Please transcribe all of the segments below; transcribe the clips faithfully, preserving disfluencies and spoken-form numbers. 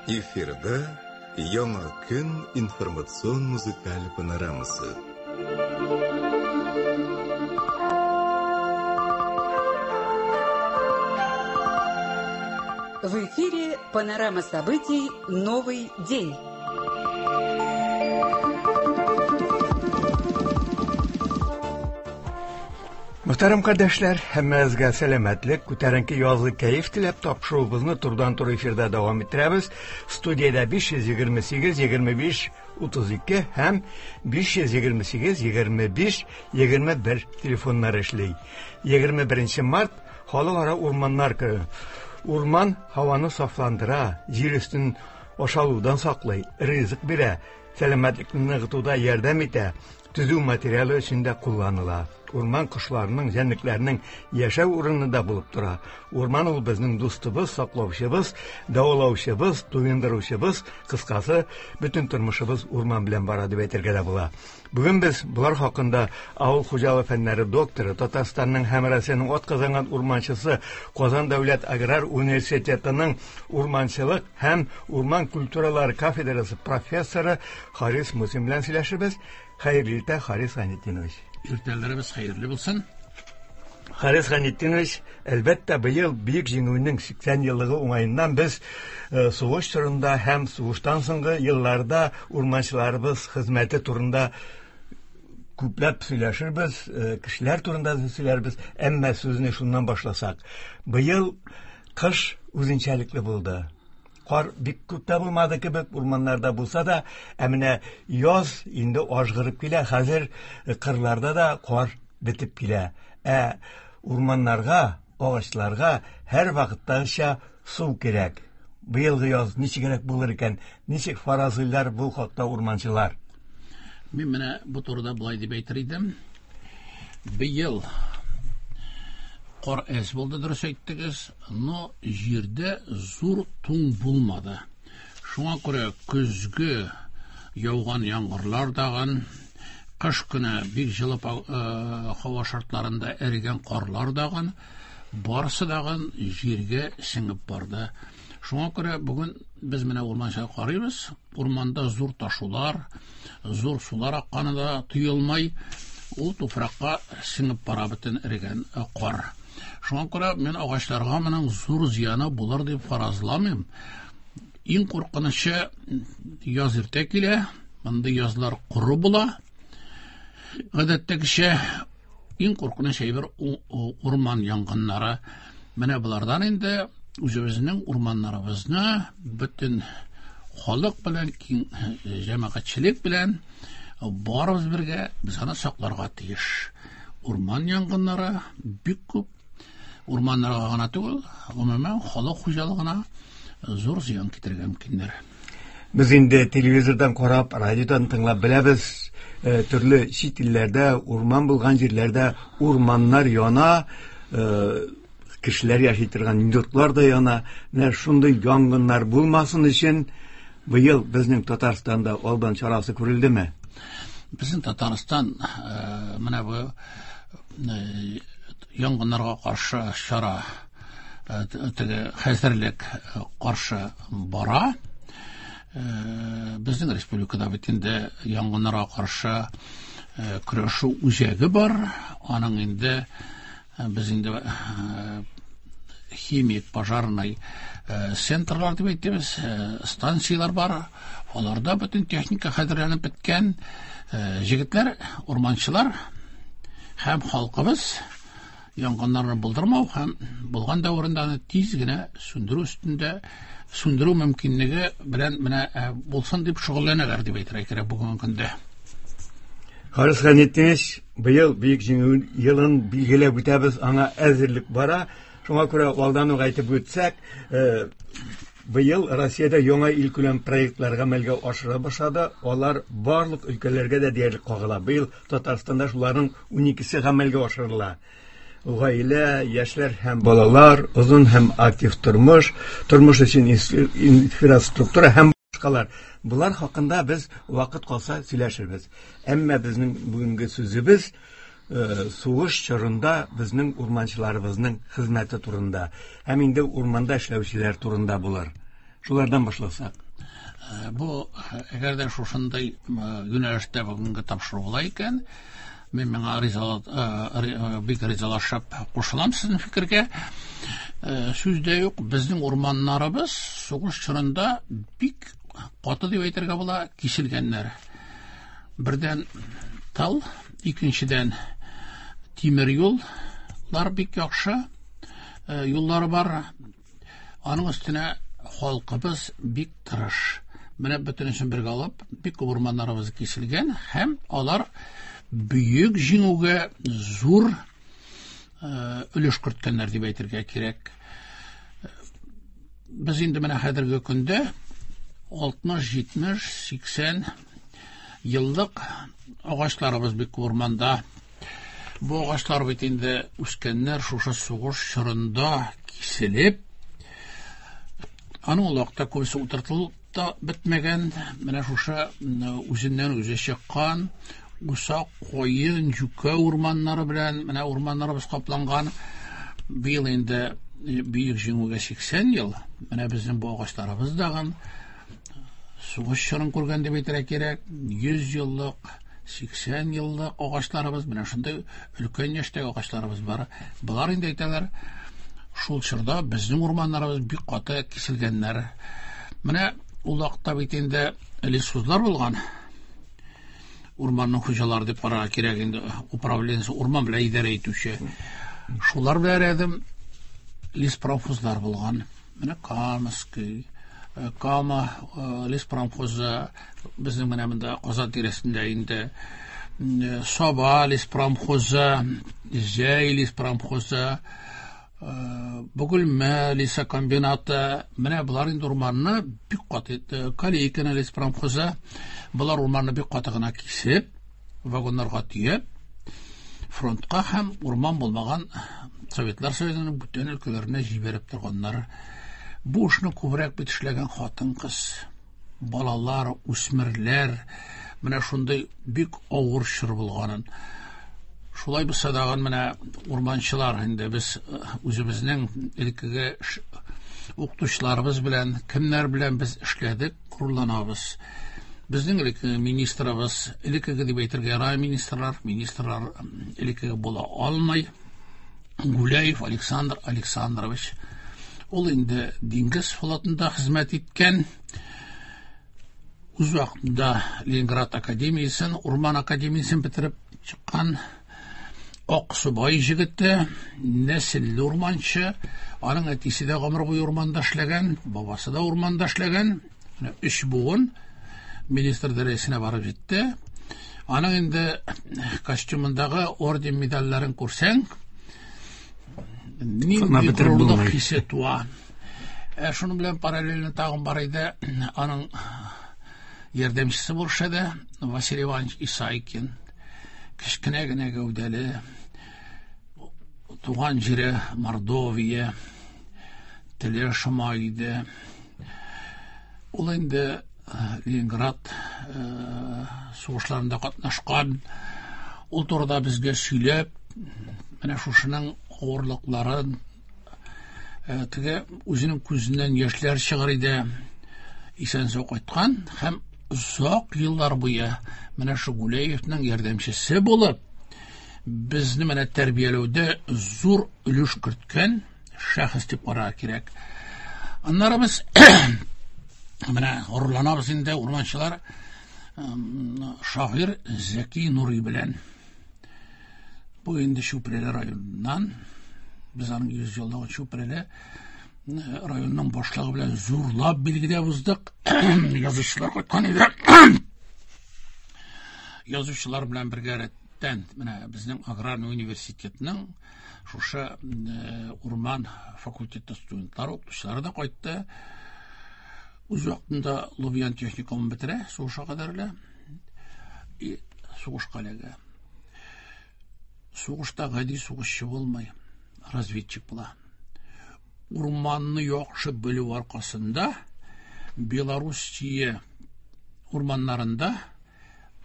Эфирда Яңа көн информацион музыкаль панорамасы. В эфире панорама событий «Новый день». Мөхтәрәм кардәшләр, һәммәгезгә сәламәтлек, күтәренке язлы кәеф теләп тапшыруыбызны турыдан-туры эфирда дәвам иттерәбез. Студиядә биш йөз егерме сигез, егерме биш, утыз ике һәм биш йөз егерме сигез, егерме биш, егерме бер телефоннары эшли. Егерме беренче март Халыкара урманнар көне. Урман һаваны сафландыра, җир өстен ашалудан саклый, ризык бирә, сәламәтлекне ныгытуда ярдәм итә, төзү материалы өчен дә кулланыла. Урман кошларының, җәнлекләрнең яшәү урыны да булып тора. Урман ул безнең дустыбыз, саклаучыбыз, дәвалаучыбыз, туендыручыбыз, кыскасы, бөтен тормышыбыз урман белән бара дип әйтергә дә була. Бүген без болар хакында авыл хуҗалыгы фәннәре докторы, Татарстанның һәм Россиянең атказанган урманчысы, Казан дәүләт аграр университетының урманчылык һәм урман культуралары кафедрасы профессоры Харис Мусин белән сөйләшербез. Хәерле иртә, Харис Гайнетдинович. Иртәләребез хәерле булсын. Харис Гайнетдинович, әлбәттә, быел Бөек Җиңүнең сиксән еллыгы уңаеннан без, э, сугыш чорында һәм сугыштан соңгы елларда урманчыларыбыз хезмәте турында күпләп сөйләшербез, э, кешеләр турында да сөйләрбез, әмма сүзне шуннан башласак. Быел кыш үзенчәлекле булды. Кар бик күп тә булмады кебек, урманнарда булса да, ә менә яз инде ажгырып килә, хәзер кырларда да кар бетеп килә. Ә урманнарга, агачларга һәр вакыттагыча су кирәк. Быелгы яз ничегрәк булыр икән, ничек фаразлыйлар бу хакта урманчылар? Мин менә бу турыда болай дип әйтер идем. Быел кар әз булды, дөрес әйттегез, но җирдә зур туң булмады. Шуңа күрә көзге яуган яңгырлар дагын, кыш көне бик җылы па-, э, һава шартларында эрегән карлар дагын, барысы дагын җиргә сеңеп барды. Шуңа күрә бүген без менә урманча карыйбыз. Урманда зур ташулар, зур сулар акканы да тоелмай, ул туфракка сеңеп бара бөтен эрегән, э, кар. Шуңа күрә мин агачларга моның зур зыяны булыр дип фаразламыйм. Иң куркынычы яз иртә килә, мондый язлар коры була. Гадәттәгечә иң куркыныч әйбер у-, у-, урман янгыннары. Менә болардан инде үзебезнең урманнарыбызны бөтен халык белән, киң җәмәгатьчелек белән барыбыз бергә без аны сакларга тиеш. Урман янгыннары бик күп. Урманнарга гына түгел, гомумән халык хуҗалыгына зур зыян китерергә мөмкиннәр. Без инде телевизордан карап, радиодан тыңлап беләбез, э, төрле чит илләрдә, урман булган җирләрдә урманнар яна, э, кешеләр яши торган йортлар да яна. Менә шундый янгыннар булмасын өчен быел безнең Татарстанда алдан чарасы күрелдеме? Безнең Татарстан, э, менә бу, э, янгыннарга каршы чара, э, теге хәзерлек, э, каршы бара. Э, безнең республикада бит инде янгыннарга каршы, э, көрәшү үзәге бар. Аның инде, э, без инде, э, химик пожарный, э, центрлар дип әйтәбез, э, станцияләр бар. Аларда бөтен техника хәзерләнеп беткән. Э, җегетләр, урманчылар һәм халкыбыз янгыннарны булдырмау һәм булган дәверендә аны тиз генә сүндерү өстендә сүндерү мөмкинлеге белән менә, э, булсын дип шөгыльләнәләр дип әйтергә кирәк бүгенге көндә. Харис Гайнетдинович, быел Бөек Җиңү елын билгеләп үтәбез, аңа әзерлек бара. Шуңа күрә алдан ук әйтеп үтсәк, э, быел Россиядә яңа илкүләм проектлар гамәлгә ашыра башлады. Алар барлык өлкәләргә дә диярлек кагыла. Быел Татарстанда шуларның уникесе гамәлгә ашырыла. Гаилә, яшьләр һәм балалар, озын һәм актив тормыш, тормыш өчен инс-, инфраструктура һәм башкалар. Булар хакында без вакыт калса сөйләшербез. Әмма безнең бүгенге сүзебез, э, сугыш чорында безнең урманчыларыбызның хезмәте турында һәм инде урманда эшләүчеләр турында булыр. Шулардан башласак. Бу әгәр дә шушындай юнәлештә бүгенге тапшыру була икән, мин моңа ризалат, бик ризалашып кушылам сезнең фикергә. Сүз дә юк, безнең урманнарыбыз сугыш чорында бик каты дип әйтергә була, киселгәннәр. Бердән тал, икенчедән тимер юллар бик яхшы, юллары бар. Аның өстенә халкыбыз бик тырыш. Менә бөтенесен бергә алып, бик күп урманнарыбыз киселгән һәм алар бөек җиңүгә зур өлеш керткәннәр дип әйтергә кирәк. Без инде менә хәзерге көндә алтмыш, җитмеш, сиксән еллык агачларыбыз бик күп урманда. Бу агачлар бит инде үскәннәр шушы сугыш чорында киселеп, аның ул вакытта күбесе утыртылып та бетмәгән, менә шушы үзеннән үзе чыккан усак, каен, юкә урманнары белән менә урманнарыбыз капланган. Быел инде бөек җиңүгә сиксән ел, менә безнең бу агачларыбыз дагын сугыш чорын күргән дип әйтергә кирәк. Йөз еллык, сиксән еллык агачларыбыз, менә шундый өлкән яшьтәге агачларыбыз бар. Болар инде әйтәләр, шул чорда безнең урманнарыбыз бик каты киселгәннәр. Менә ул вакытта бит инде лесхозлар булган. Урманның хуҗалары дип карарга кирәк инде, управленец урман белән идарә итүче. Шулар белән рәдем леспромхозлар булган. Менә Камский, Кама леспромхозы, безнең менә монда Казан тирәсендә инде Саба леспромхозы, Зәй леспромхозы, Бөгелмә лесокомбинаты, менә болар инде урманны бик каты, Калейкина леспромхозы, болар урманны бик каты гына кисеп, вагоннарга төяп, фронтка һәм урман булмаган Советлар Союзының бүтән өлкәләренә җибәреп торганнар. Бу эшне күбрәк бит эшләгән хатын-кыз, балалар, үсмерләр, менә шундый бик авыр чор булганын. Шулай булса да менә урманчылар инде без үзебезнең элеккеге укытучыларыбыз белән, кемнәр белән без эшләдек, горурланабыз. Безнең элеккеге министрыбыз, элеккеге дип әйтергә ярый министрлар, министрлар элеккеге була алмый. Гуляев Александр Александрович. Ул инде диңгез флотында хезмәт иткән. Үз вакытында Ленинград академиясен, Урман академиясен бетереп чыккан Аксубай җегете, нәселле урманчы. Аның әтисе дә гомер буе урманда эшләгән, бабасы да урманда эшләгән. Менә өч буын министр дәрәҗәсенә барып җитте. Аның инде костюмындагы орден медальләрен күрсәң, нинди горурлык хисе туа. Ә шуның белән параллельно тагын бар иде аның ярдәмчесе булса да Василий Иванович Исайкин. Кечкенә генә гәүдәле, туган җире Мордовия, теле шома иде. Ул инде Ленинград сугышларында катнашкан. Ул турыда безгә сөйләп, менә шушының авырлыкларын, теге үзенең күзеннән яшьләр чыгар иде. Исән-сау кайткан һәм озак еллар буе менә шу Гуляевның ярдәмчесе булып, безне менә тәрбияләүдә зур өлеш керткән шәхес дип карарга кирәк. Аннары без менә горурланабыз инде урманчылар шагыйрь Зәки Нури белән. Бу инде Чүпрәле районыннан, без аның йөз еллыгын Чүпрәле районының башлыгы белән зурлап билгеләп уздык. Язучылар кайткан иде. Язучылар белән бергә рәттән менә безнең аграрный университетның шушы урман факультеты студентлары, укытучылары да кайтты. Үз вакытында Лубян техникумын бетерә, сугышка кадәрле. И сугышка эләгә. Сугышта гади сугышчы булмый, разведчик була. Урманны яхшы белү аркасында Белоруссия урманнарында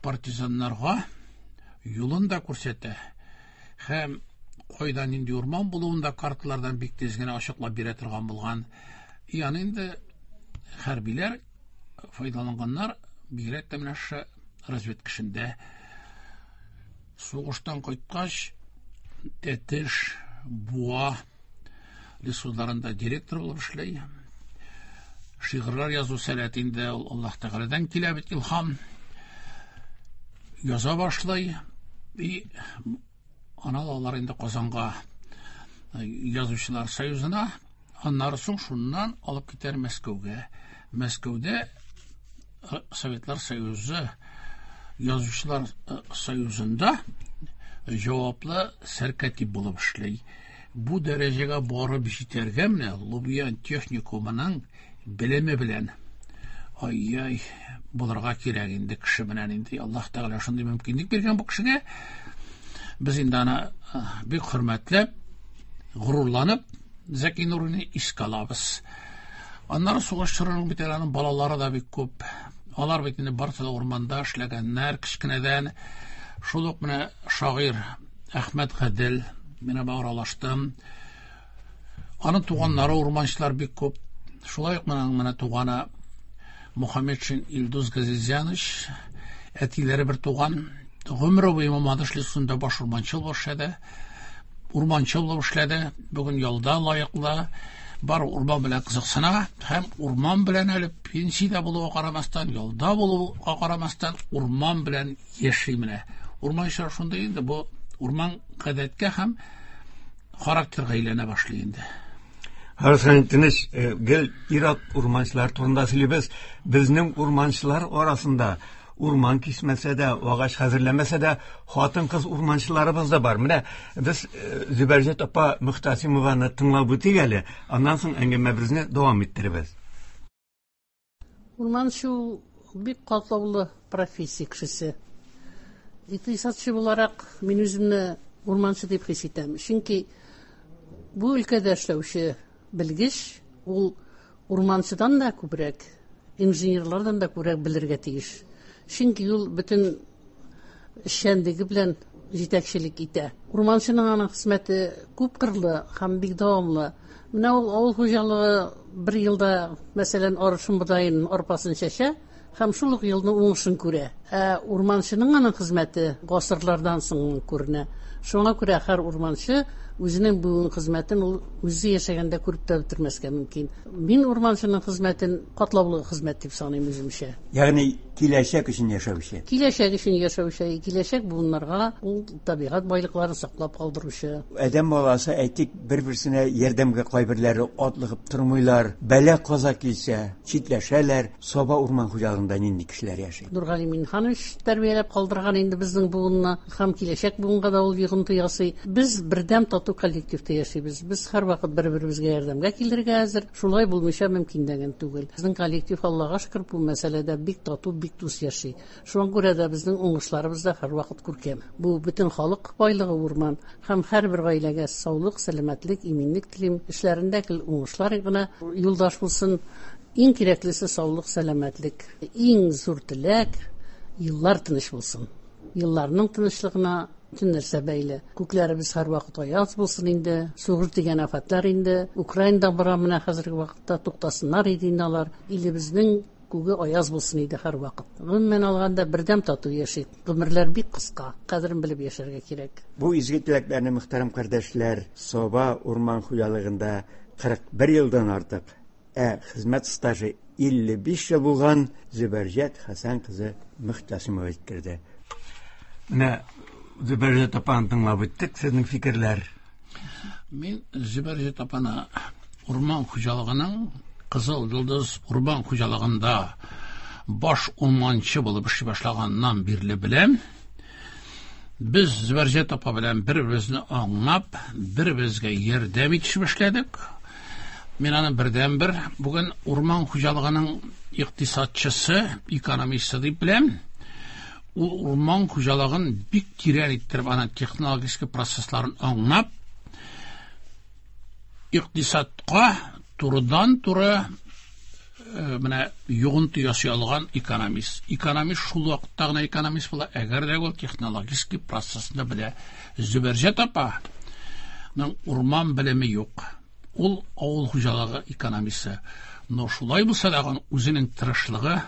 партизаннарга юлын да күрсәтә һәм кайда нинди урман булуын да карталардан бик тиз генә ачыклап бирә торган булган. И аны инде хәрбиләр файдаланганнар, бигрәк тә менә шушы разведка эшендә. Сугыштан кайткач, Тәтеш, Буа лесхозларында директор булып эшли. Шигырьләр язу сәләте инде ул Аллаһ Тәгаләдән килә бит, илһам. Яза башлый. И аны алалар инде Казанга, Язучылар союзына. Аннары соң шуннан алып китәр Мәскәүгә. Мәскәүдә Советлар Союзы Язучылар Союзында җаваплы сәркатип булып эшли. Бу дәрәҗәгә барып җитәргә менә Лубян техникумының белеме белән ай-яй булырга кирәк инде кеше белән инде. Аллаһ Тәгалә шундый мөмкинлек биргән бу кешегә. Без инде аны бик хөрмәтләп, горурланып Зәки Нурины искә алабыз. Аннары сугыш чорының бит әле аның балалары да бик күп. Алар бит инде барысы да урманда эшләгәннәр кечкенәдән. Шул ук менә шагыйрь Әхмәт Гадел, мин аңа аралаштым. Аның туганнары урманчылар бик күп. Шулай ук менә менә туганы Мухаммедшин Илдус Газизянович, әтиләре бер туган, гомере буе Мамадыш лесында баш урманчы булып эшләде. Урманчы булып эшләде. Бүген ялда лаеклы. Бар урман белән кызыксына һәм урман белән әле пенсиядә булуга карамастан, ялда булуга карамастан, урман белән яши менә. Урманчылар шундый инде, бу урман гадәткә һәм характерга әйләнә башлый инде. Харис Тыныч, гел ир-ат урманчылар турында сөйлибез. Безнең урманчылар арасында урман кисмәсә дә, агач хәзерләмәсә дә, хатын-кыз урманчыларыбыз да бар. Менә без Зөбәрҗәт апа Мөхтәсимованы тыңлап үтик әле, аннан соң әңгәмәбезне дәвам иттеребез. Урманчы ул бик катлаулы профессия кешесе. Икътисадчы буларак мин үземне урманчы дип хис итәм. Чөнки бу өлкәдә эшләүче белгеч ул урманчыдан да күбрәк, инженерлардан да күбрәк белергә тиеш. Чөнки ул бөтен эшчәнлеге белән җитәкчелек итә. Урманчының аның хезмәте күп кырлы һәм бик дәвамлы. Менә ул авыл хуҗалыгы бер елда, мәсәлән, арышын, бодаен, арпасын чәчә һәм шул ук елның уңышын күрә. Ә урманчының аның хезмәте гасырлардан соң күренә. Шуңа күрә һәр урманчы үзенең бүгенге хезмәтен ул үзе яшәгәндә күреп тә бетермәскә мөмкин. Мин урманчының хезмәтен катлаулы хезмәт дип саныйм үземчә. Ягъни киләчәк өчен яшәүче. Киләчәк өчен яшәүче, киләчәк буыннарга ул табигать байлыкларын саклап калдыручы. Адәм баласы, әйтик, бер-берсенә ярдәмгә кайберләре атлыгып тормыйлар, бәла-каза килсә, читләшәләр. Саба урман хуҗалыгында нинди кешеләр яши? Нургали Минханович тәрбияләп калдырган инде безнең буынны һәм киләчәк буынга да ул йогынты ясый. Без бердәм тату коллективта яшибез. Без һәрвакыт бер-беребезгә ярдәмгә килергә әзер. Шулай булмыйча мөмкин дигән түгел. Безнең коллектив, Аллага шөкер, бу мәсьәләдә бик тату, бик дус яши. Шуңа күрә дә безнең уңышларыбыз да һәрвакыт күркәм. Бу бөтен халык байлыгы урман һәм һәрбер гаиләгә саулык, сәламәтлек, иминлек телим. Эшләрендә гел уңышлар гына юлдаш булсын. Иң кирәклесе саулык, сәламәтлек. Иң зур теләк еллар тыныч булсын. Елларның тынычлыгына бөтен нәрсә бәйле. Күкләребез һәрвакыт аяз булсын инде. Сугыш дигән афәтләр инде Украинада бара менә хәзерге вакытта, туктасыннар иде инде алар. Илебезнең күге аяз булсын иде һәрвакыт. Гомумән алганда бердәм тату яшик. Гомерләр бик кыска, кадерен белеп яшәргә кирәк. Бу изге теләкләрне, мөхтәрәм кардәшләр, Саба урман хуҗалыгында кырык бер елдан артык, ә хезмәт стажы илле биш ел булган Зөбәрҗәт Хәсән кызы Мөхтәсимова җиткерде. Менә Зөбәрҗәт апаны тыңлап үттек, сезнең фикерләр? Мин Зөбәрҗәт апаны урман хуҗалыгының Кызыл Йолдыз урман хуҗалыгында баш урманчы булып эшли башлаганнан бирле беләм. Без Зөбәрҗәт апа белән бер-беребезне аңлап, бер-беребезгә ярдәм итешеп эшләдек. Мин аны бердәнбер бүген урман хуҗалыгының икътисадчысы, экономисты дип беләм. Ул урман хуҗалыгын бик тирән иттереп, аның технологик процессларын аңлап, икътисадка турыдан-туры, э, менә йогынты ясый алган экономист. Экономист шул вакытта гына экономист була, әгәр дә ул технологик процессны белә. Зөбәрҗәт апаның урман белеме юк. Ул авыл хуҗалыгы экономисты. Но шулай булса да үзенең тырышлыгы,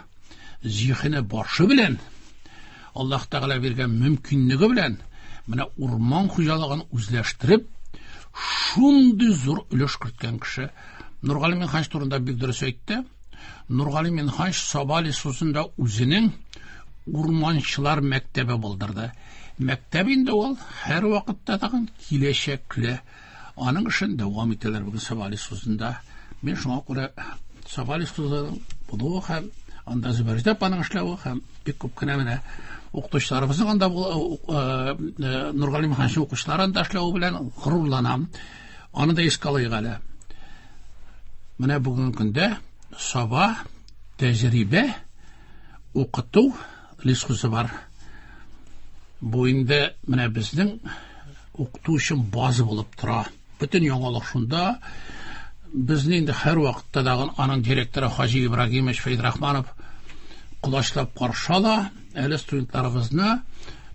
зиһене башы белән, Аллаһ Тәгалә биргән мөмкинлеге белән менә урман хуҗалыгын үзләштереп, шундый зур өлеш керткән кеше. Нургали Минһаҗ турында бик дөрес әйтте. Нургали Минһаҗ Саба лесхозында үзенең урманчылар мәктәбе булдырды. Мәктәп инде ул һәр вакытта тагын киләчәкле. Аның эшен дәвам итәләр бүген Саба лесхозында. Мин шуңа күрә Саба лесхозының булуы һәм анда Зөбәрҗәт апаның эшләве һәм бик күп кенә менә укытучыларыбызның анда Нургали Минһаҗның укучылары анда эшләве белән горурланам. Аны да искә алыйк әле. Менә бүгенге көндә Саба тәҗрибә укыту лесхозы бар. Бу инде менә безнең укыту өчен база булып тора. Бөтен яңалык шунда. Безне инде һәр вакытта да аның директоры Хаҗи Ибрагимович Фәйдрахманов колачлап каршы ала, әле студентларыбызны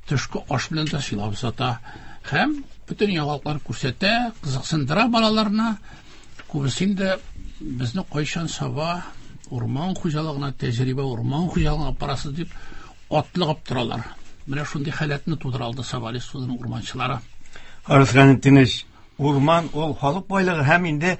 төшке аш белән дә сыйлап озата. Һәм бөтен яңалыклар күрсәтә, кызыксындыра балаларны. Күбесе инде безне кайчан Саба урман хуҗалыгына, тәҗрибә урман хуҗалыгына апарасыз дип атлыгып торалар. Менә шундый халәтне тудыра алды Саба лесхозының урманчылары. Харис Гайнетдинович, урман ул халык байлыгы һәм инде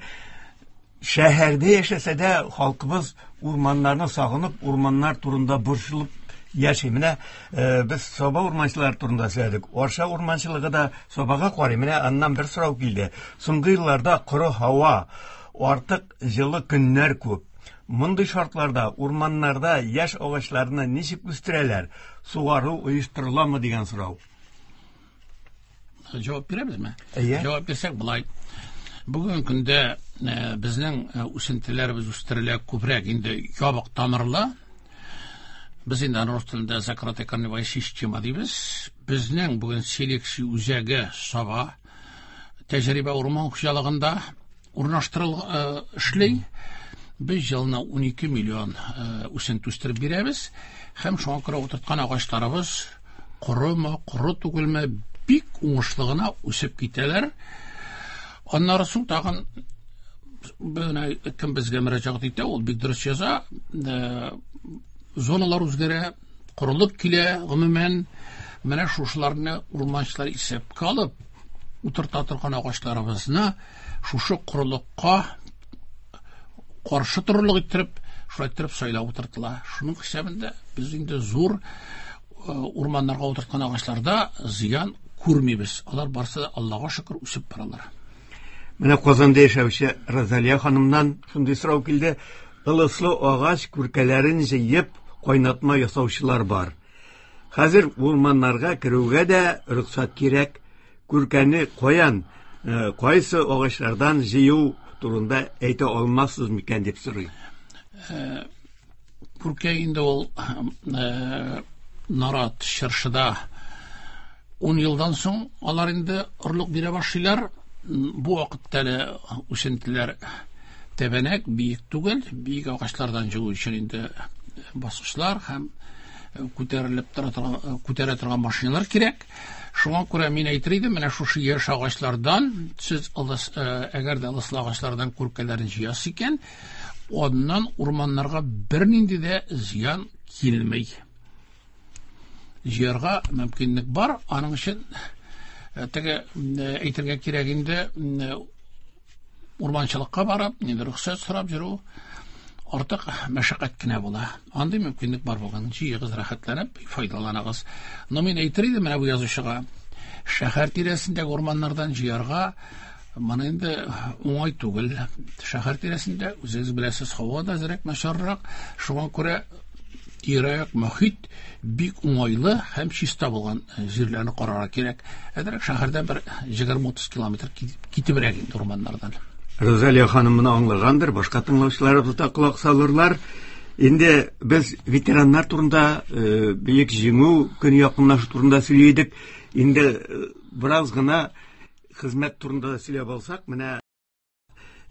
шәһәрдә яшәсә дә халкыбыз урманнарны сагынып, урманнар турында борчылып яши. Менә без Саба урманчылары турында сөйләдек. Арча урманчылыгы да Сабага карый. Менә аннан бер сорау килде. Соңгы елларда коры һава, артык җылы көннәр күп. Мондый шартларда урманнарда яшь агачларны ничек үстерәләр? Сугару оештырыламы дигән сорау. Җавап бирәбезме? Әйе. Җавап бирсәк болай. Бүгенге көндә безнең үсентеләребез үстерелә күбрәк инде ябык тамырлы. Без инде рус телендә закрытая корневая система дибез. Безнең бүген селекция үзәге Саба тәҗрибә урман хуҗалыгында урнаштырыл эшли. Без елына ун ике миллион үсенте үстереп бирәбез. Һәм шуңа күрә утырткан агачларыбыз корымы, коры түгелме, бик уңышлы гына үсеп китәләр. Аннары соң тагын менә кем безгә мөрәҗәгать итә, ул бик дөрес яза. Зоналар үзгәрә, корылык килә, гомумән менә шушыларны урманчылар исәпкә алып утырта торган агачларыбызны шушы корылыкка каршы торырлык иттереп, шулай иттереп сайлап утыртыла. Шуның хисабында без инде зур урманнарга утырткан агачларда зыян күрмибез. Алар барсы да Аллага шөкер үсеп баралар. Менә Казанда яшәүче Розалия ханымнан шундый сорау килде. Ылыслы агач күркәләрен җыеп кайнатма ясаучылар бар. Хәзер урманнарга керүгә дә рөхсәт кирәк. Күркәне каян, кайсы агачлардан җыю турында әйтә алмассыз микән дип сорый. Күркә инде ул нарат чыршыда ун елдан соң алар инде орлык бирә башлыйлар. Бу вакытта әле үсентеләр тәбәнәк, биек түгел, биек агачлардан җыю өчен инде баскычлар һәм күтәрелеп тора торган, күтәрә торган машиналар кирәк. Шуңа күрә мин әйтер идем, менә шушы яшь агачлардан сез ылыс, әгәр дә ылыслы агачлардан күркәләрен җыясыз икән, аннан урманнарга бернинди дә зыян килми. Җыярга мөмкинлек бар, аның өчен теге әйтергә кирәк инде урманчылыкка барып, инде рөхсәт сорап йөрү артык мәшәкать кенә була. Андый мөмкинлек бар булган, җыегыз, рәхәтләнеп файдаланыгыз. Но мин әйтер идем менә бу язучыга, шәһәр тирәсендәге урманнардан җыярга моны инде уңай түгел. Шәһәр тирәсендә үзегез беләсез, һава да әзрәк начаррак, шуңа күрә тирә-як мохит бик уңайлы һәм чиста булган җирләрне карарга кирәк. Әзрәк шәһәрдән бер егерме утыз километр китебрәк инде урманнардан. Розалия ханым моны аңлагандыр, башка тыңлаучыларыбыз да колак салырлар. Инде без ветераннар турында, Бөек Җиңү көне якынлашу турында сөйли идек. Инде бераз гына хезмәт турында да сөйләп алсак, менә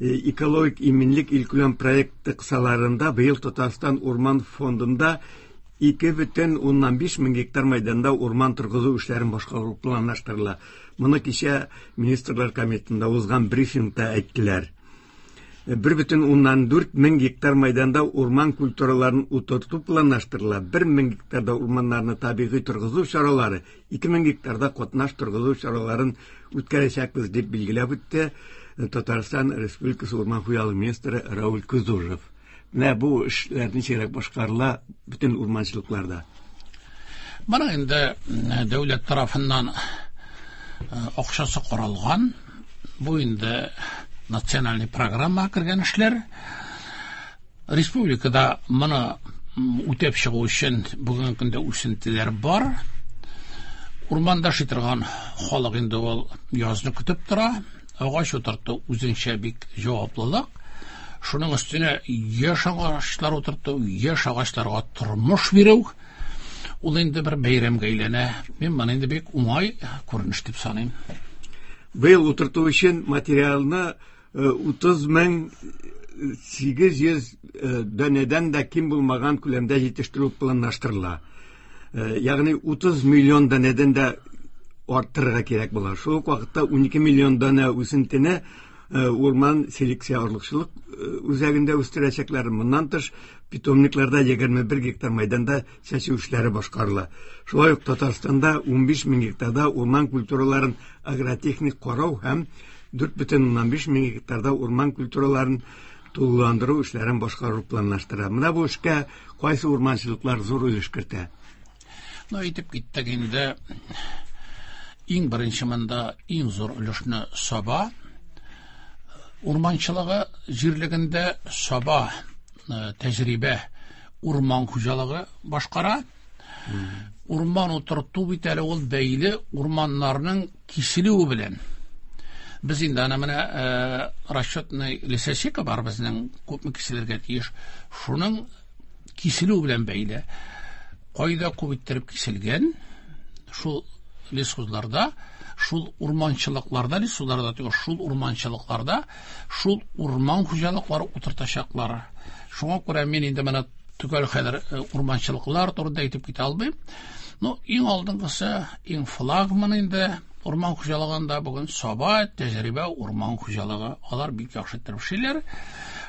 экологик иминлек илкүләм проекты кысаларында быел Татарстан урман фондында ике бөтен уннан биш мең гектар мәйданда урман торгызу эшләрен башкару планлаштырыла. Моны кичә Министрлар Кабинетында узган брифингта әйттеләр. бер бөтен уннан дүрт мең гектар мәйданда урман культураларын утырту планлаштырыла. Бер мең гектарда урманнарны табигый торгызу чаралары, ике мең гектарда катнаш торгызу чараларын үткәрәчәкбез, дип билгеләп үтте Татарстан Республикасы урман хуҗалыгы министры Рауль Кузужев. Менә бу эшләр ничегрәк башкарыла бөтен урманчылыкларда? Моның инде дәүләт тарафыннан акчасы каралган. Бу инде национальный программа кергән эшләр. Республикада моны үтәп чыгу өчен бүгенге көндә үсентеләр бар. Урманда яши торган халык инде ул язны көтеп тора. Агач утырту үзенчә бик җаваплылык. Шуның өстенә яшь агачлар утырту, яшь агачларга тормыш бирү, ул инде бер бәйрәмгә әйләнә. Мин моны инде бик уңай күренеш дип саныйм. Быел утырту өчен материалны утыз мең сигез йөз данәдән дә ким булмаган күләмдә җитештерү планлаштырыла. Ягъни утыз миллион данәдән дә арттырырга кирәк була. Шул ук вакытта унике миллион данә үсентене урман селекция орлыкчылык үзәгендә үстерәчәкләр. Моннан тыш питомникларда егерме бер гектар мәйданда чәчү эшләре башкарыла. Шулай ук Татарстанда унбиш мең гектарда урман культураларын агротехник карау һәм дүрт бөтен уннан биш мең гектарда урман культураларын тулыландыру эшләрен башкару планлаштыра. Менә бу эшкә кайсы урманчылыклар зур өлеш кертә? Ну, әйтеп киттек инде, иң беренче монда иң зур өлешне Саба урманчылыгы җирлегендә Саба тәҗрибә урман хуҗалыгы башкара. Урман утырту бит әле ул бәйле урманнарның киселүе белән. Без инде аны менә расчетный лесосека бар безнең, күпме киселергә тиеш, шуның киселүе белән бәйле. Кайда күп иттереп киселгән, шул лесхозларда, шул урманчылыкларда, лесхозларда түгел, шул урманчылыкларда, шул урман хуҗалыклары утыртачаклар. Шуңа күрә мин инде менә төгәл хәзер урманчылыклар турында әйтеп китә алмыйм. Но иң алдынгысы, иң флагман инде урман хуҗалыгында бүген Саба тәҗрибә урман хуҗалыгы. Алар бик яхшы итеп эшлиләр.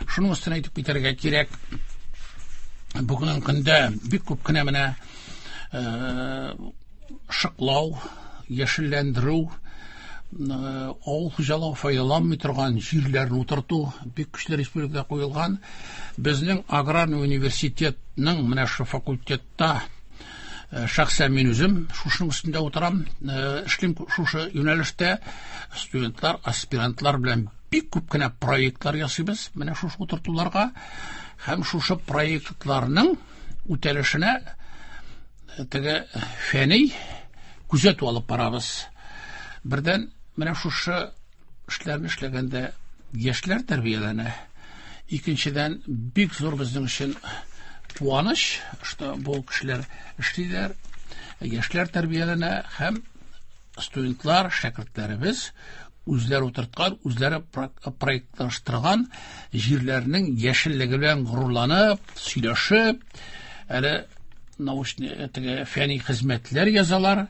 Шуның өстенә әйтеп китәргә кирәк, бүгенге көндә бик күп кенә менә шыклау, яшелләндерү, авыл хуҗалыгы файдаланмый торган җирләрне утырту бик көчле республикада куелган. Безнең аграрный университетның менә шу факультетта шәхсән мин үзем шушының өстендә утырам, эшлим шушы юнәлештә. Студентлар, аспирантлар белән бик күп кенә проектлар ясыйбыз менә шушы утыртуларга, һәм шушы проектларның үтәлешенә теге фәнни күзәтү алып барабыз. Бердән менә шушы эшләрне эшләгәндә яшьләр тәрбияләнә. Икенчедән, бик зур безнең өчен куаныч, что бу кешеләр эшлиләр, яшьләр тәрбияләнә һәм студентлар, шәкертләребез үзләре утырткан, үзләре проектлаштырган җирләрнең яшеллеге белән горурланып, сөйләшеп, әле научный теге фәнни хезмәтләр язалар.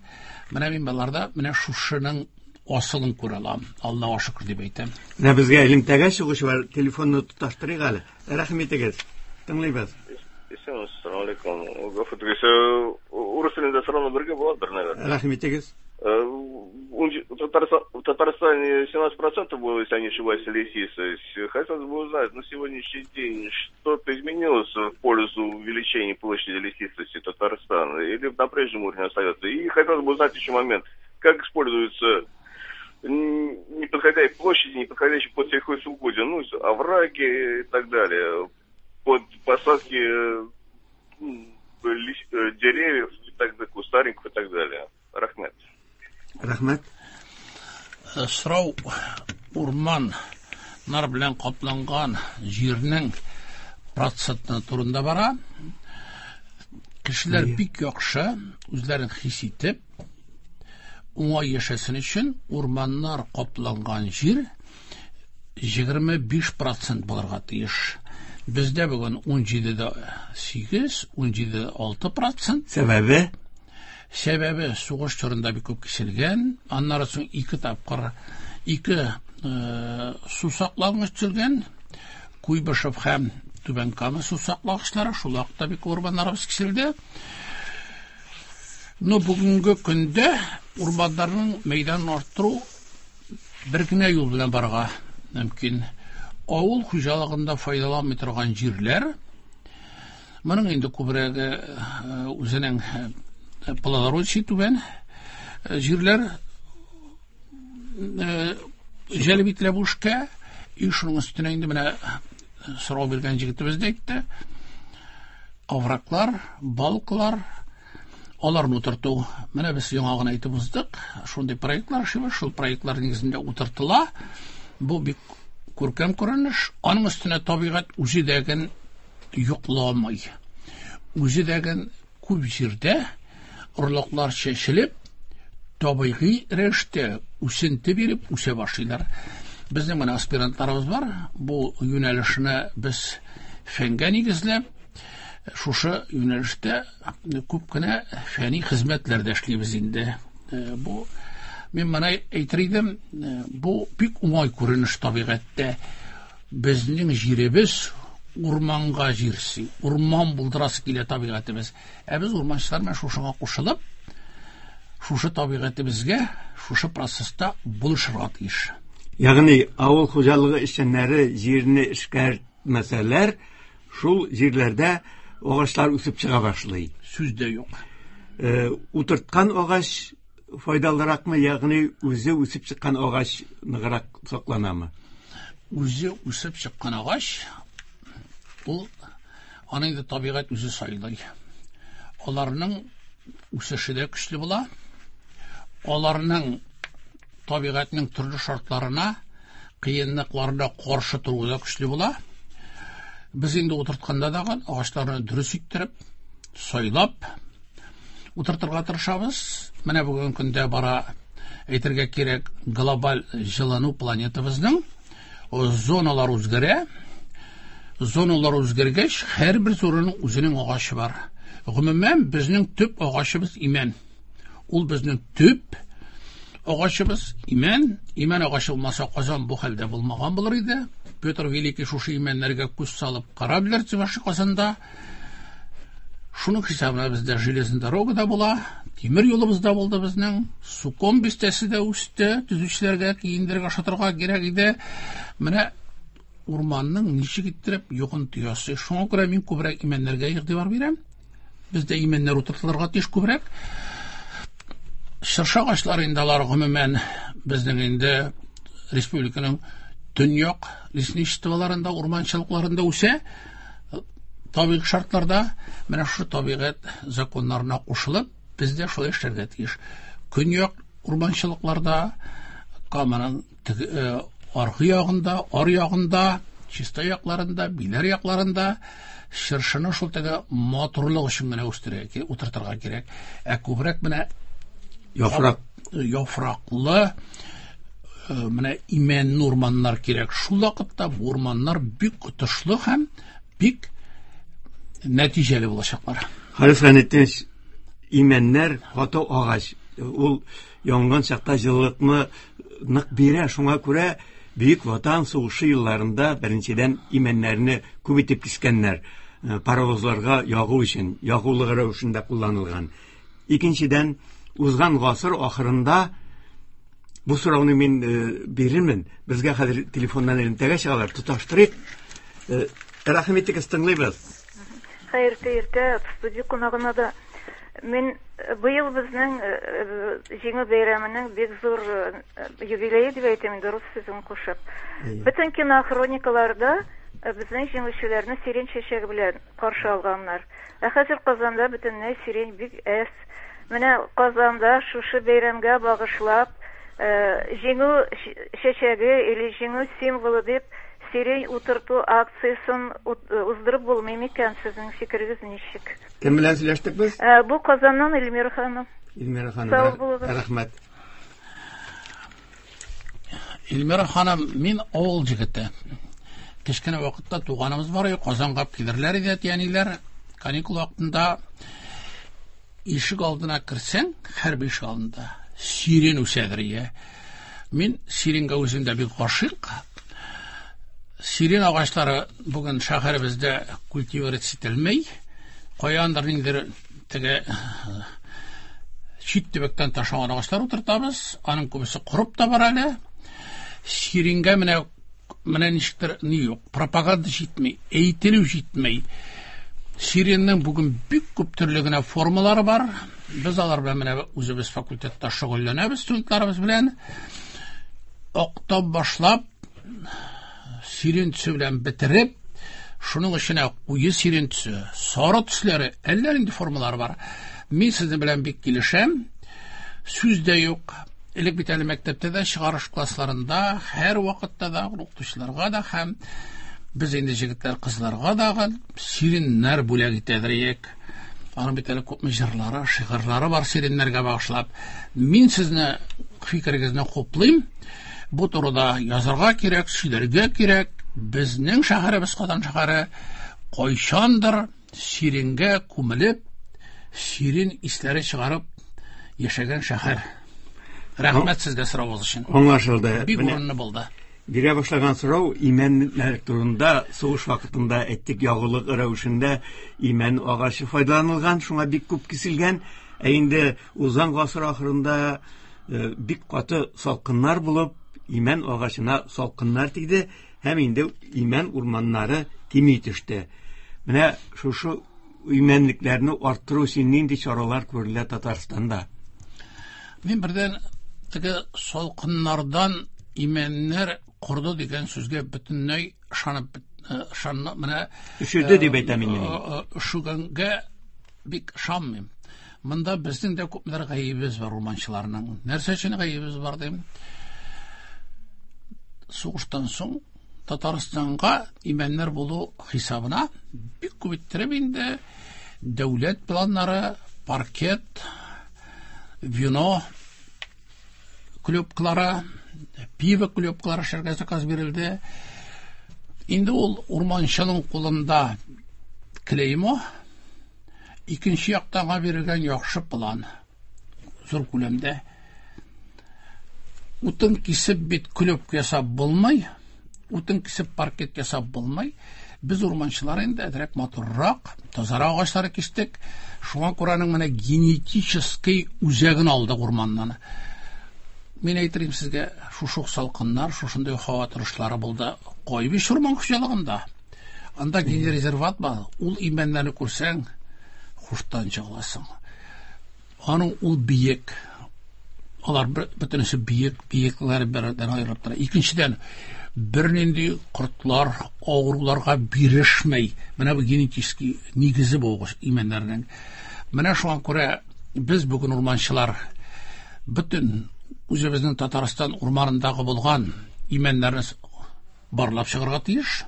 Менә мин баларда менә шушының асылын күрә алам. Аллаһуга шөкер дип әйтәм. Менә безгә элемтәгә чыгучы бар, телефонны тоташтырыйк әле. Рәхим итегез. Тыңлыйбыз. Ассаламу алейкум. Гафу итегез. Урыс телендә сорауны бергә буладыр, наверное. Рәхим итегез. В Татарстане семнадцать процентов было, если я не ошибаюсь, лесистость. Хотелось бы узнать, на сегодняшний день что-то изменилось в пользу увеличения площади лесистости Татарстана или на прежнем уровне остается? И хотелось бы узнать еще момент, как используются неподходящие площади, неподходящие под сельхозугодия, ну, овраги и так далее, под посадки деревьев, и так далее, кустарников и так далее. Рахмет. Рахмет. Сорау урманнар белән капланган җирнең проценты турында бара. Кешеләр бик яхшы үзләрен хис итеп, уңай яшәсен өчен урманнар капланган җир егерме биш процент булырга тиеш. Бездә бүген ун җиде дә сигез, ун җиде дә алты процент. Сәбәбе? Сәбәбе сугыш чорында бик күп киселгән, аннары соң ике тапкыр ике су саклагыч төзелгән. Куйбышев һәм Түбән Кама су саклагычлары, шул вакытта бик урманнарыбыз киселде. Но бүгенге көндә урманнарның мәйданын арттыру бер генә юл белән барырга мөмкин. Авыл хуҗалыгында файдаланмый торган җирләр, моның инде күбрәге үзенең плодородие түбән җирләр җәлеп ителә бу эшкә. И шуның өстенә инде менә сорау биргән җегетебез дә әйтте. Овраклар, балыклар, аларны утырту. Менә без яңа гына әйтеп уздык. Шундый проектлар эшлибез, шул проектлар нигезендә утыртыла. Бу бик күркәм күренеш. Аның өстенә табигать үзе дәген йокламый. Үзе дәген күп җирдә орлыклар чәчелеп, табигый рәвештә үсенте биреп үсә башлыйлар. Безнең менә аспирантларыбыз бар. Бу юнәлешне без фәнгә нигезләп, шушы юнәлештә күп кенә фәнни хезмәтләр дә эшлибез инде. Бу мин моны әйтер идем, бу бик уңай күренеш табигатьтә. Безнең җиребез урманга җирси, урман булдырасы килә табигатебез. Ә без урманчылар белән шушыңа кушылып, шушы табигатебезгә, шушы процесста булышырга тиеш. Ягъни авыл хуҗалыгы эшчәннәре җирне эшкәртмәсәләр, шул җирләрдә агачлар үсеп чыга башлый. Сүз дә юк. Э, утырткан агач файдалыракмы, ягъни үзе үсеп чыккан агач ныграк сакланамы? Үзе үсеп чыккан агач ул аны инде табигать үзе сайлый. Аларның үсеше дә көчле була. Аларның табигатьнең төрле шартларына, кыенлыкларына каршы торуы да көчле була. Без инде утыртканда да агачларны дөрес иттереп, сайлап утыртырга тырышабыз. Менә бүгенге көндә бара, әйтергә кирәк, глобаль җылыну планетабызның зоналар үзгәрә. Зоналар үзгәргәч, һәрбер зонаның үзенең агачы бар. Гомумән, безнең төп агачыбыз имән. Ул безнең төп агачыбыз имән. Имән агачы булмаса, Казан бу хәлдә булмаган булыр иде. Петр Великий шушы имәннәргә күз салып корабльләр төзүче Казанда. Шуның хисабына бездә железная дорога да була, тимер юлыбыз да булды безнең, Суком бистәсе дә үсте, төзүчеләргә киендерергә, ашатырга кирәк иде. Менә урманның ничек иттереп йогынты ясый. Шуңа күрә мин күбрәк имәннәргә игътибар бирәм. Бездә имәннәр утыртылырга тиеш күбрәк. Чыршы агачлары инде алар гомумән безнең инде республиканың төньяк лесничестволарында, урманчылыкларында үсә. Табигый шартларда менә шушы табигать законнарына кушылып, без дә шулай эшләргә тиеш. Көньяк урманчылыкларда, Каманың аргы ягында, ар ягында, Чистай якларында, Биләр якларында чыршыны шул теге матурлык өчен генә үстерергә, утыртырга кирәк. Ә күбрәк менә яфрак, яфраклы менә имәнле урманнар кирәк. Шул вакытта бу урманнар бик отышлы һәм бик нәтиҗәле булачаклар. Харис Гайнетдинович, имәннәр каты агач. Ул янган чакта җылылыкны нык бирә. Шуңа күрә Бөек Ватан сугышы елларында беренчедән имәннәрне күп итеп кискәннәр, паровозларга ягу өчен, ягулык рәвешендә кулланылган. Икенчедән, узган гасыр ахырында бу сорауны мин бирермен. Безгә хәзер телефоннан элемтәгә чыгалар, тоташтырыйк. Рәхим итегез, тыңлыйбыз. Хәерле иртә, студия кунагына да. Мин быел безнең Җиңү бәйрәменең бик зур юбилее дип әйтәм, инде рус сүзен кушып. Бөтен кинохроникаларда безнең җиңүчеләрне сирень чәчәге белән каршы алганнар. Ә хәзер Казанда бөтенләй сирень бик әз. Менә Казанда шушы бәйрәмгә багышлап Җиңү чәчәге или җиңү символы дип сирень утырту акциясен уздырып булмый микән? Сезнең фикерегез ничек? Кем белән сөйләштек без? Бу Казаннан Эльмира ханым. Эльмира ханым, рәхмәт. Эльмира ханым, мин авыл җегете. Кечкенә вакытта туганыбыз бар иде, Казанга килерләр иде әти-әниләр. Каникул вакытында ишек алдына керсәң, һәрбер ишек алдында сирень үсәдер ие. Мин сиреньгә үзем дә бик гашыйк. Сирен агачлары бүген шәһәребездә культивировать ителмәй. Каяндыр ниндидер теге чит төбәктән ташыган агачлар утыртабыз. Аның күбесе корып та бара әле. Сиренгә менә менә ничектер ни юк, пропаганда җитми, әйтелү җитми. Сиреннең бүген бик күп төрле генә формалары бар. Без алар белән менә үзебез факультетта шөгыльләнәбез студентларыбыз белән. Октап башлап сирен төсе белән бетереп, шуның эченә куе сирен төсе, сары төсләре, әллә нинди формалар бар. Мин сезнең белән бик килешәм. Сүз дә юк. Элек бит әле мәктәптә дә, чыгарыш классларында, һәр вакытта да укытучыларга да һәм без инде җегетләр, кызларга да сиреннәр бүләк итәдер идек. Аның бит әле күпме җырлары, шигырьләре бар сиреннәргә багышлап. Мин сезне фикерегезне хуплыйм. Бу турыда язарга кирәк, сөйләргә кирәк. Безнең шәһәребез Казан шәһәре кайчандыр сиренгә күмелеп, сирен исләре чыгарып яшәгән шәһәр. Рәхмәт сезгә соравыгыз өчен. Аңлашылды. Бик урынлы булды. Бирә башлаган сорау имәннәр турында. Сугыш вакытында әйттек, ягулык рәвешендә имән агачы файдаланылган, шуңа бик күп киселгән. Ә инде узган гасыр ахырында бик каты салкыннар булып, имән агачына салкыннар тиде һәм инде имән урманнары кими төште. Менә шушы имәнлекләрне арттыру өчен нинди чаралар күрелә Татарстанда? Мин бердән теге салкыннардан имәннәр корды дигән сүзгә бөтенләй ышанып ышанып менә өшеде дип әйтәм инде. Өшегәнгә бик ышанмыйм. Монда безнең дә күпмедер гаебебез бар урманчыларның. Нәрсә өчен гаебебез бар дим? Сугыштан соң Татарстанга имәннәр булу хисабына бик күп иттереп инде дәүләт планнары, паркет, вино клубклары, пиво клубклары эшләргә заказ бирелде. Инде ул урманчының кулында клеймо, икенче яктан бирелгән яхшы план зур күләмдә. Утын кисеп бит клуб ясап булмый, утын кисеп паркет ясап булмый. Без урманчылар инде әзрәк матуррак, тазарак агачлары кистек. Шуңа күрә аның менә генетический үзәген алдык урманнан. Мин әйтерим сезгә, шушы салкыннар, шушындый һава торышлары булды Кайбыч урман хуҗалыгында. Анда генерезерват бар. Ул имәннәрне күрсәң, хуштан чыгыласың. Аның ул биек. Алар бөтенесе биек, биекләр бердән аерылып тора. Икенчедән, бернинди кортлар, авыруларга бирешмәй. Менә бу генетический нигезе бу имәннәрнең. Менә шуңа күрә без бүген урманчылар бөтен үзебезнең Татарстан урманындагы булган имәннәрне барлап чыгарга тиеш.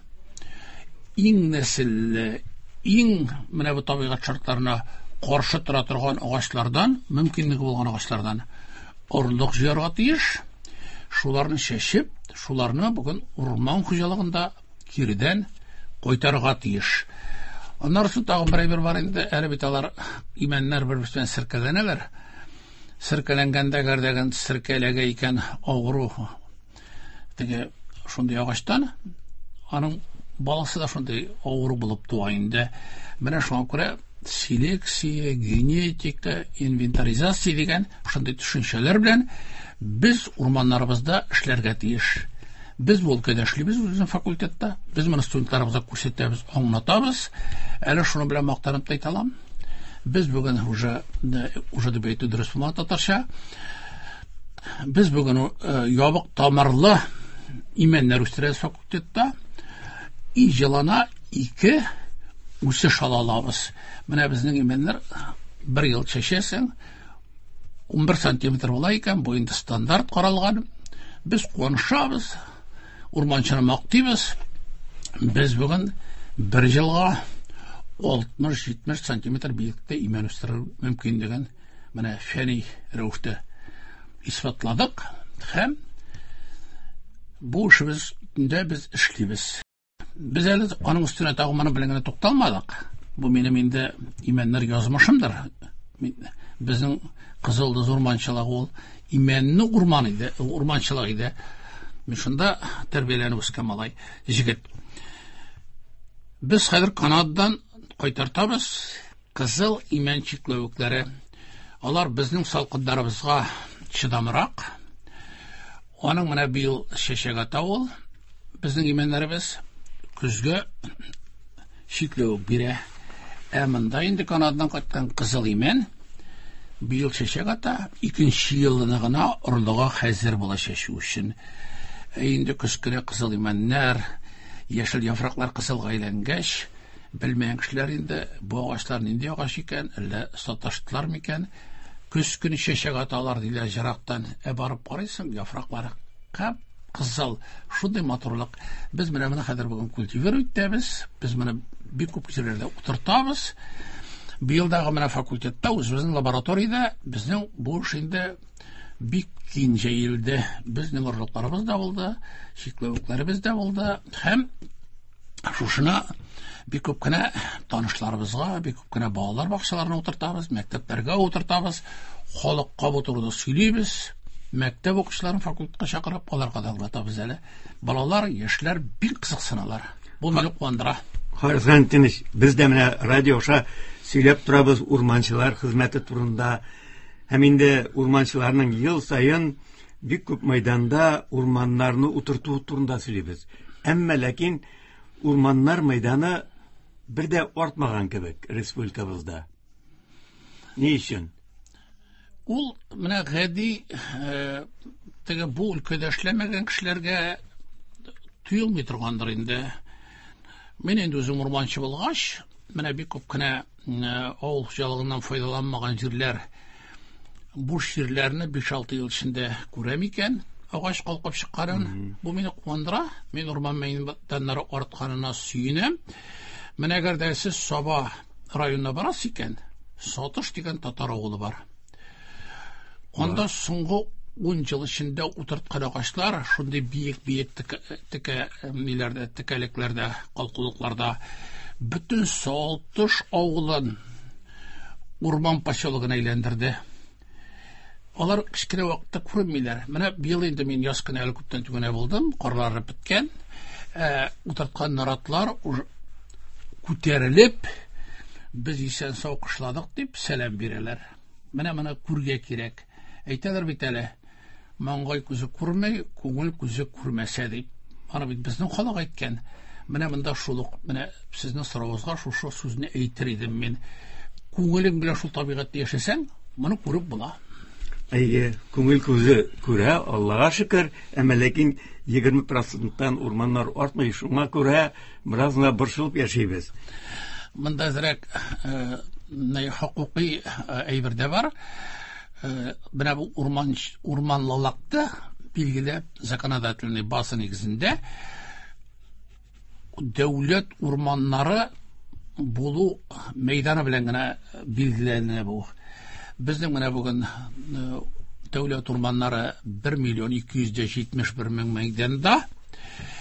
Иң нәселле, иң менә бу табигать шартларына каршы тора торган агачлардан, мөмкинлеге булган агачлардан орлык җыярга тиеш. Шуларны чәчеп, шуларны бүген урман хуҗалыгында киредән кайтарырга тиеш. Аннары соң тагын бер әйбер бар инде, әле бит алар имәннәр бер-берсе белән серкәләнәләр. Серкәләнгәндә гәрдәгән серкәләгә икән авыру теге шундый агачтан, аның баласы да шундый авыру булып туа инде. Менә шуңа күрә селекция, генетика, инвентаризация дигән шундый төшенчәләр белән без урманнарыбызда эшләргә тиеш. Без бу өлкәдә эшлибез үзебезнең факультетта. Без моны студентларыбызга күрсәтәбез, аңлатабыз. Әле шуны белән мактанып та әйтә алам. Без бүген уже, уже дип әйтү дөрес булмады татарча. Без бүген ябык тамырлы имәннәр үстерәбез факультетта. И җылана ике үсеш ала алабыз. Менә безнең имәннәр бер ел чәчәсең, ун бер сантиметр була икән, бу инде стандарт каралган. Без куанышабыз, урманчыны мактыйбыз. Без бүген бер елга алтмыш җитмеш сантиметр биеклектә имән үстерү мөмкинлеген менә фәнни рәвештә исбатладык һәм бу эшебездә без эшлибез. Без әле аның өстенә тагын моның белән генә тукталмадык. Бу минем инде имәннәр язмышымдыр. Безнең Кызыл Йолдыз урманчылыгы ул имәнне урман иде, урманчылык иде. Мин шунда тәрбияләнеп үскән малай, җегет. Без хәзер Канададан кайтартабыз кызыл имән чикләвекләре. Алар безнең салкыннарыбызга чыдамрак. Аның менә быел чәчәк ата ул. Безнең имәннәребез көзгә чикләвек бирә. Ә монда инде Канададан кайткан кызыл имән быел чәчәк ата, икенче елына гына орлыгы хәзер була чәчү өчен. Ә инде көз көне кызыл имәннәр, яшел яфраклар кызылга әйләнгәч, белмәгән кешеләр инде бу агачлар нинди агач икән, әллә саташтылар микән? Көз көне чәчәк аталар диләр ерактан. Ә барып карыйсың, яфраклары кып-кызыл, шундый матурлык. Без менә моны хәзер бүген культивировать итәбез, без моны бик күп җирләрдә утыртабыз. Быелдагы менә факультетта, үзебезнең лабораториядә безнең бу эш инде бик киң җәелде. Безнең орлыкларыбыз да булды, чикләвекләребез дә булды һәм шушына бик күп кенә танышларыбызга, бик күп кенә балалар бакчаларына утыртабыз, мәктәпләргә утыртабыз, халыкка бу турыда сөйлибез. Мәктәп укучыларын факультетка чакырып, аларга да аңлатабыз әле. Балалар, яшьләр бик кызыксыналар. Бу мине куандыра. Харис Гайнетдинович, без дә менә радио аша сөйләп торабыз урманчылар хезмәте турында. Һәм инде урманчыларның ел саен бик күп мәйданда урманнарны утырту турында сөйлибез. Әмма ләкин урманнар мәйданы бер дә артмаган кебек республикабызда. Ни өчен? Ул менә гади, э, теге бу өлкәдә эшләмәгән кешеләргә тоелмый торгандыр инде. Мин инде үзем урманчы булгач, менә бик күп кенә, э, авыл хуҗалыгыннан файдаланмаган җирләр, буш җирләрне биш-алты ел эчендә күрәм икән, агач калкып чыкканын. Бу мине куандыра. Мин урман мәйданнары артканына сөенәм. Менә әгәр дә сез Саба районына барасыз икән, Сатыш дигән татар авылы бар. Анда соңгы ун ел эчендә утырткан агачлар шундый биек-биек текә, текә, ниләрдә, текәлекләрдә, калкулыкларда бөтен Сатыш авылын урман поселогына әйләндерде. Алар кечкенә вакытта күренмиләр. Менә быел инде мин яз көне әле күптән түгел булдым, карлары беткән. Ә, утырткан наратлар уже күтәрелеп, без исән сау кышладык дип сәлам бирәләр. Менә моны күргә кирәк. Әйтәләр бит әле, маңгай күзе күрмәй, күңел күзе күрмәсә дип. Аны бит безнең халык әйткән. Менә монда шул ук, менә сезнең соравыгызга шушы сүзне әйтер идем мин. Күңелең белән шул табигатьтә яшәсәң, моны күреп була. Әйе, күңел күзе күрә, Аллага шөкер, әмма ләкин егерме проценттан урманнар артмый, шуңа күрә бераз гына борчылып яшибез. Монда әзрәк, э, ни, хокукый, э, әйбер дә бар. Э, менә бу урман, урманлылыкты билгеләп законодательный база нигезендә дәүләт урманнары булу мәйданы белән генә билгеләнә бу. Безнең менә бүген, э, дәүләт урманнары бер миллион ике йөз дә җитмеш бер мең мәйданда.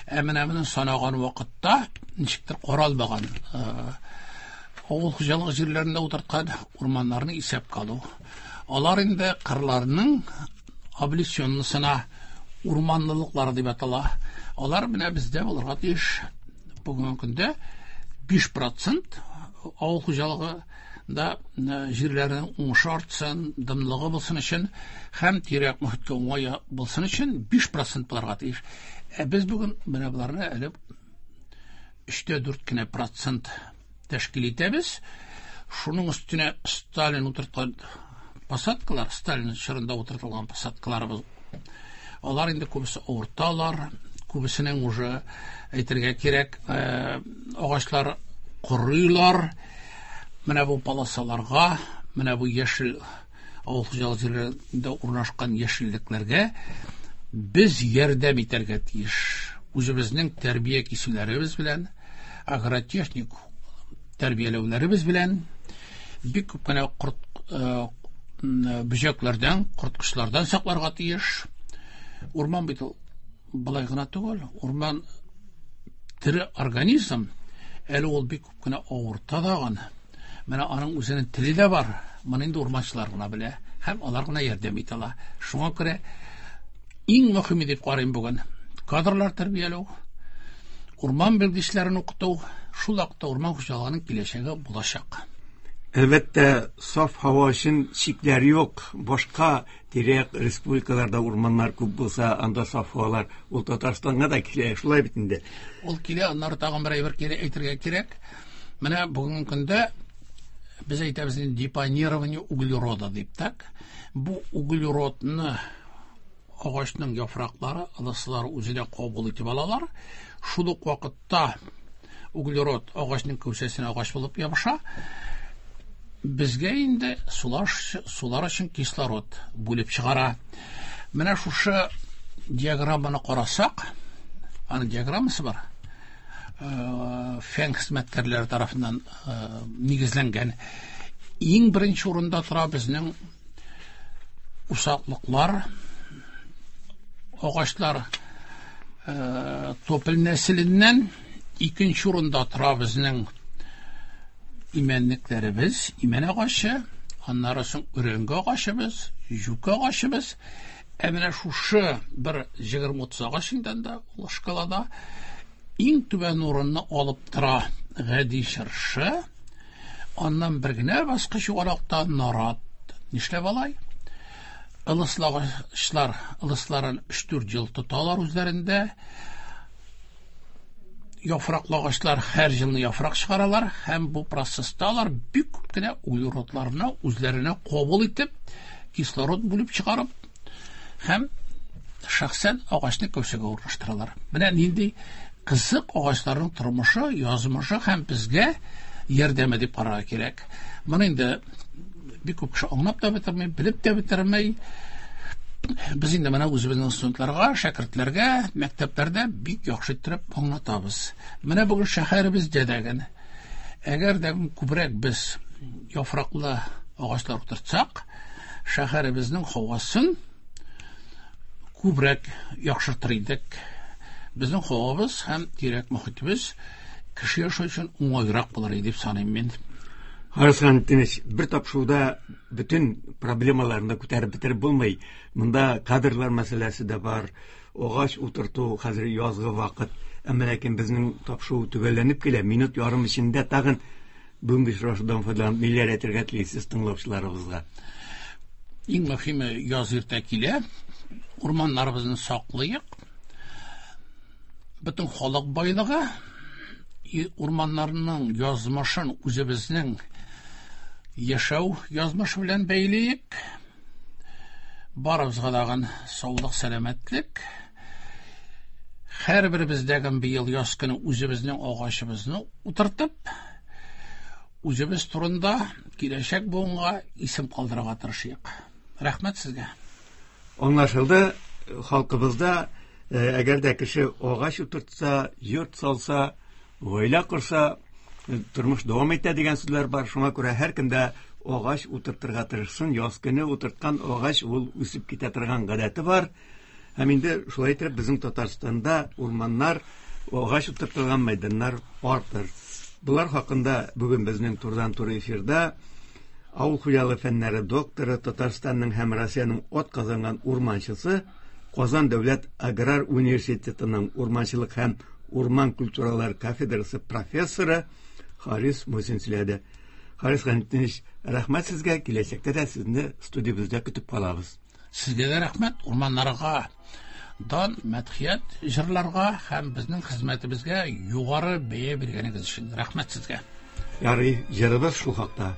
Ә менә моны санаган вакытта ничектер каралмаган, э, авыл хуҗалыгы җирләрендә утырткан урманнарны исәпкә алу. Алар инде кырларның облесенныйсына урманлылыклары дип атала. Алар менә бездә булырга тиеш. Бүгенге көндә биш процент авыл хуҗалыгы да, э, җирләрнең уңышы артсын, дымлыгы булсын өчен һәм тирә-як мөхиткә уңай булсын өчен биш процент булырга тиеш. Ә без бүген менә боларны әле өчтә дүрт кенә процент тәшкил итәбез. Шуның өстенә Сталин утырткан посадкалар, Сталин чорында утыртылган посадкаларыбыз, алар инде күбесе авырталар, күбесенең уже әйтергә кирәк, э, агачлар корыйлар. Менә бу полосаларга, менә бу яшел авыл хуҗалыгы җирләрендә урнашкан яшеллекләргә без ярдәм итәргә тиеш. Үзебезнең тәрбия кисүләребез белән, агротехник тәрбияләүләребез белән бик күп кенә корт, э, бөҗәкләрдән, корткычлардан сакларга тиеш. Урман бит ул болай гына түгел, урман тере организм, әле ул бик күп кенә авырта дагын. Менә аның үзенең теле дә бар. Моны инде урманчылар гына белә һәм алар гына ярдәм итә ала. Шуңа күрә иң мөһиме дип карыйм бүген Кадрлар тәрбияләү, урман белгечләрен укыту, шул вакытта урман хуҗалыгының киләчәге булачак. Әлбәттә, саф һава өчен чикләр юк. Башка тирә-як республикаларда урманнар күп булса, анда саф һавалар ул Татарстанга да килә, шулай бит инде. Ул килә, аннары тагын бер әйбер кире әйтергә кирәк. Менә бүгенге көндә без әйтәбез инде депонирование углерода дип, так? Бу углеродны агачның яфраклары, ылыслары үзенә кабул итеп алалар. Шул ук вакытта углерод агачның кәүсәсенә агач булып ябыша. Безгә инде сулар, сулар өчен кислород бүлеп чыгара. Менә шушы диаграмманы карасак, аның диаграммасы бар. Э, фән хезмәткәрләре тарафыннан э, нигезләнгән. Иң беренче урында тора безнең усаклыклар, агачлар э, топель нәселеннән, икенче урында тора безнең имәнлекләребез, имән агачы, аннары соң өрәңге агачыбыз, юкә агачыбыз. Ә менә шушы бер егерме утыз агач инде анда, ул шкалада иң түбән урынны алып тора гади чыршы, аннан бер генә баскыч югарыракта нарат. Нишләп алай? Ылыслы агачлар ылысларын өч-дүрт ел тоталар үзләрендә. Яфраклы агачлар һәр елны яфрак чыгаралар һәм бу процесста алар бик күп кенә углеродларны үзләренә кабул итеп, кислород бүлеп чыгарып һәм шәхсән агачны кәүсәгә урнаштыралар. Менә нинди кызык агачларның тормышы, язмышы һәм безгә ярдәме дип карарга кирәк. Моны инде бик күп кеше аңлап та бетерми, белеп тә бетерми. Без инде менә үзебезнең студентларга, шәкертләргә мәктәпләрдә бик яхшы иттереп аңлатабыз. Менә бүген шәһәребездә дә генә, әгәр дә күбрәк без яфраклы агачлар утыртсак, шәһәребезнең һавасын күбрәк яхшыртыр идек. Безнең һавабыз һәм тирәк мохитебез кеше яшәү өчен уңайрак булыр иде дип саныйм мин. Харис Ханитович, бер тапшыруда бөтен проблемаларны күтәреп бетереп булмый. Монда кадрлар мәсьәләсе дә бар, агач утырту, хәзер язгы вакыт. Әмма ләкин безнең тапшыру төгәлләнеп килә. Минут ярым эчендә тагын бүгенге очрашудан файдаланып ниләр әйтергә телисез тыңлаучыларыбызга? Иң мөһиме, яз иртә килә. Урманнарыбызны саклыйк. Бөтен халык байлыгы урманнарның язмышын үзебезнең яшәү язмышы белән бәйлиек. Барыбызга тагын саулык, сәламәтлек. Һәрберебездәге быел яз көне үзебезнең агачыбызны утыртып, үзебез турында киләчәк буынга исем калдырырга тырышыйк. Рәхмәт сезгә. Аңлашылды, халкыбызда әгәр дә кеше агач утыртса, йорт салса, гаилә корса, тормыш дәвам итә дигән сүзләр бар. Шуңа күрә һәркем дә агач утыртырга тырышсын. Яз көне утырткан агач ул үсеп китә торган гадәте бар. Һәм инде шулай итеп безнең Татарстанда урманнар, агач утыртылган мәйданнар артыр. Булар хакында бүген безнең турыдан-туры эфирда авыл хуҗалыгы фәннәре докторы, Татарстанның һәм Россиянең ат казанган урманчысы, Казан дәүләт аграр университетының урманчылык һәм урман культуралар кафедрасы профессоры Харис Мусин сөйләде. Харис Ханитович, рәхмәт сезгә, киләчәктә дә сезне студиябездә көтеп калабыз. Сезгә дә рәхмәт, урманнарга дан, мәдхият җырларга һәм безнең хезмәтебезгә югары бәя биргәнегез өчен рәхмәт сезгә. Ярый, җырыбыз шул хакта.